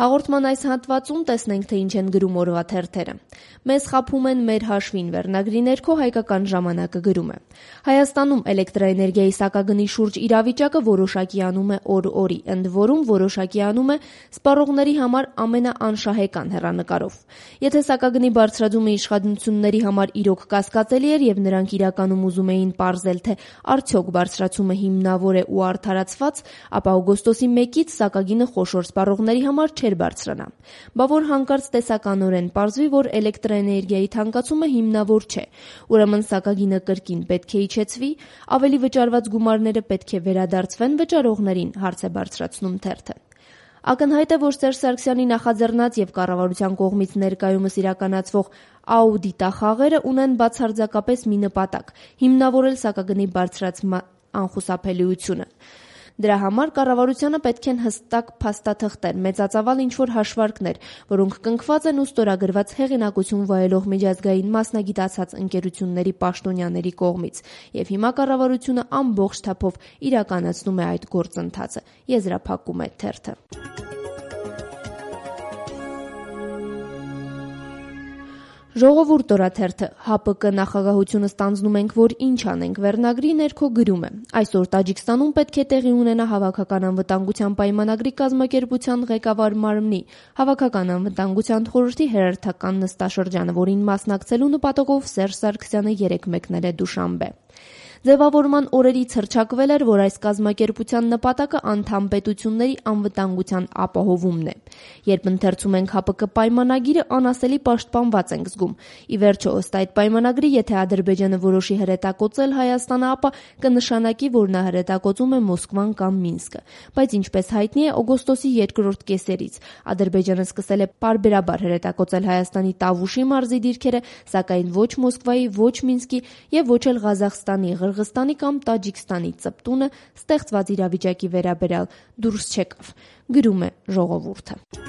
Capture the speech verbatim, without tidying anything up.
Հաղորդման այս հատվածում տեսնենք, թե ինչ են գրում օրվա թերթերը։ Մեզ խաբում են մեր հաշվին վերնագրի ներքո Հայկական ժամանակը գրում է. Հայաստանում էլեկտրաէներգիայի սակագնի շուրջ իրավիճակը որոշակիանում է օր-օրի, ընդ որում որոշակիանում է սպառողների համար ամենաանշահեկան հեռանկարով։ Եթե սակագնի բարձրացումը իշխանությունների համար իրոք կասկածելի էր եւ նրանք իրականում ուզում էին պարզել, թե արդյոք բարձրացումը հիմնավոր է ու արդարացված, ապա օգոստոսի մեկից սակագինը խոշոր սպառողների համար չէր բարձրանա։ Բա որ հանկարծ տեսականորեն պարզվի, որ էլեկտրաէներգիայի թանկացումը հիմնավոր չէ, ուրեմն սակագինը կրկին պետք է իջեցվի, ավելի վճարված գումարները պետք է վերադարձվեն վճարողներին, հարց է բարձրացնում թերթը։ Ակնհայտ է, որ Սերժ Սարգսյանի նախաձեռնած եւ կառավարության կողմից ներկայումս իրականացվող աուդիտախաղերը ունեն բացարձակապես մի նպատակ՝ հիմնավորել սակագնի բարձրացման անխուսափելիությունը։ Դրա համար կառավարությանը պետք են հստակ փաստաթղթեր, մեծածավալ ինչ-որ հաշվարկներ, որոնք կնքված են ու ստորագրված հեղինակություն վայելող միջազգային մասնագիտացած ընկերությունների պաշտոնյաների կողմից, եւ հիմա կառավարությունը ամբողջ թափով իրականացնում է այդ գործընթացը, եզրափակում է թերթը։ Ժողովուրդ օրաթերթը ՀԱՊԿ նախագահությունը ստանձնում ենք, որ ինչ անենք վերնագրի ներքո գրում է. Այսօր Տաջիկստանում պետք է տեղի ունենա հավաքական անվտանգության պայմանագրի կազմակերպության ղեկավար մարմնի հավաքական անվտանգության խորհրդի հերթական նստաշրջանը, որին մասնակցելու նպատակով Սերժ Սարգսյանը երեկ մեկնել է Դուշանբե։ Ձևավորման օրերից հռչակվել էր, որ այս կազմակերպության նպատակը անդամ պետությունների անվտանգության ապահովումն է։ Երբ ընթերցում ենք ՀԱՊԿ պայմանագիրը, անասելի պաշտպանված ենք զգում։ Ի վերջո, ըստ այդ պայմանագրի, եթե Ադրբեջանը որոշի հրետակոծել Հայաստանը, ապա կնշանակի, որ նա հրետակոծում է Մոսկվան կամ Մինսկը։ Բայց ինչպես հայտնի է, օգոստոսի երկրորդ կեսերից Ադրբեջանը սկսել է պարբերաբար հրետակոծել Հայաստանի Տավուշի մարզի դիրքերը, սակայն ոչ Մոսկվայի, ոչ Մինսկի եւ ոչ էլ Ղազախստանի, Ղրղստանի կամ Տաջիկստանի ծպտունը ստեղծված իրավիճակի վերաբերյալ դուրս չեկավ, գրում է Ժողովուրդը։